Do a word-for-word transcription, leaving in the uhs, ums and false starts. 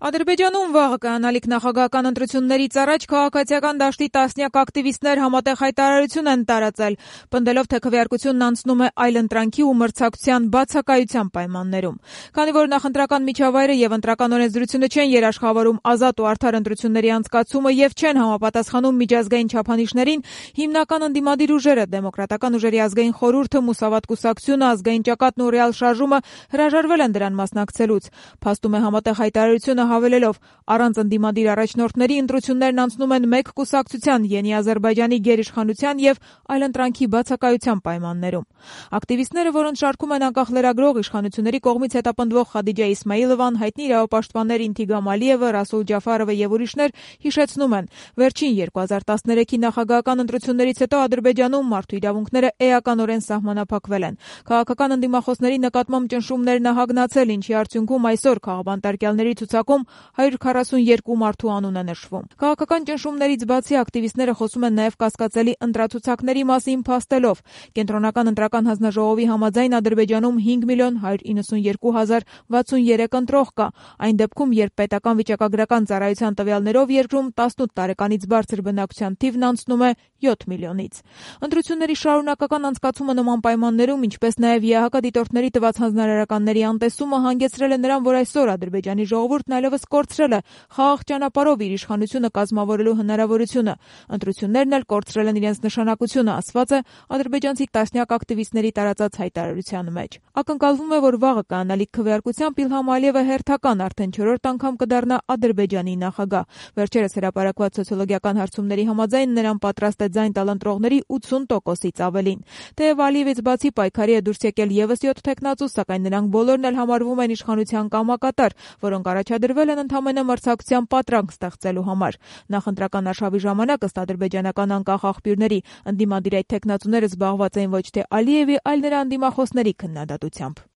Ադրբեջանում վաղը կայանալիք նախագահական ընտրություններից առաջ քաղաքացիական դաշտի տասնյակ ակտիվիստներ համատեղ հայտարարություն են տարածել, պնդելով, թե քվեարկությունն անցնում է այլընտրանքի ու մրցակցության բացակայության պայմաններում։ Քանի որ նախընտրական միջավայրը եւ ընտրական օրենսդրությունը չեն երաշխավորում ազատ ու արդար ընտրությունների անցկացումը եւ չեն համապատասխանում միջազգային չափանիշներին, հիմնական ընդդիմադիր ուժերը, Դեմոկրատական ուժերի ազգային խորհուրդը, Մուսավատ կուսակցությունը, Ազգային ճակատն ու Ռեալ շարժումը հրաժարվել են դրան մասնակցելուց։ Փաստում է համատեղ հայտարարությունը հավելելով, առանց ընդդիմադիր առաջնորդների ընտրություններն անցնում են մեկ կուսակցության, Յենի Ադրբեջանի գերիշխանության եւ այլընտրանքի բացակայության պայմաններում։ Ակտիվիստները, որոնց շարքում են անկախ լրագրող, իշխանությունների կողմից հետապնդվող Խադիջա Իսմայիլովան, հայտնի իրավապաշտպաններ Ինթիգամ Ալիևը, Ռասուլ Ջաֆարովը եւ ուրիշներ հիշեցնում են, վերջին երկու հազար տասներեքի նախագահական ընտրություններից հետո Ադրբեջանում մարդու իրավունքները էականորեն սահմանափակվել են։ Քաղաքական ընդդիմախոսների նկատմամբ ճնշումներն ահագնացել, ինչի արդյունքում այսօր քաղաքապետարյանների ցուցակում հարյուր քառասունյոթ մարդու անուն է նշվում։ Քաղաքական ճնշումներից բացի ակտիվիստները խոսում են նաև կասկածելի ընտրացուցակների մասին, փաստելով. Կենտրոնական ընտրական հանձնաժողովի համաձայն Ադրբեջանում հինգ միլիոն հարյուր իննսունյոթ հազար վաթսունյոթ ընտրող կա, այն դեպքում, երբ պետական վիճակագրական ծառայության տվյալներով երկրում տասնութ տարեկանից բարձր բնակչության թիվն անցնում է յոթ միլիոնից։ Ընտրությունների շարունակական անցկացումը նման պայմաններում, ինչպես նաև ԵԱՀԿ դիտորդների տված հանձնարարականների անտեսումը հանգեցրել է նրան, որ այսօր Ադրբեջանի ժողովուրդն այլևս կորցրել է խաղաղ ճանապարհով իր իշխանությունը կազմավորելու հնարավորությունը։ Ընտրություններն էլ կորցրել են իրենց նշանակությունը, ասված է ադրբեջանցի տասնյակ ակտիվիստների տարածած հայտարարության մեջ։ Ակնկալվում է, որ վաղը կայանալիք քվեարկությամբ Իլհամ Ալիևը հերթական արդեն չորրորդ անգամ կդառնա Ադրբեջանի նախագահ։ Վերջերս հրապարակված սոցիոլոգիական հարցումների համաձայն նրան պատրաստ է ձայն տալ ընտրողների ութսուն տոկոսից ավելին։ Թեև Ալիևից բացի պայքարի է դուրս եկել եւս յոթ թեկնածու, սակայն նրանք բոլորն էլ համարվում են իշխանության կամակատար, որոնք առաջադրվել են ընդամենը մրցակցության պատրանք ստեղծելու համար։ Նախընտրական արշավի ժամանակ, ըստ ադրբեջանական անկախ աղբյուրների, ընդդիմադիր այդ թեկնածուները զբաղված էին ոչ թե Ալիևի, այլ նրա ընդդիմախոսների քննադատությամբ։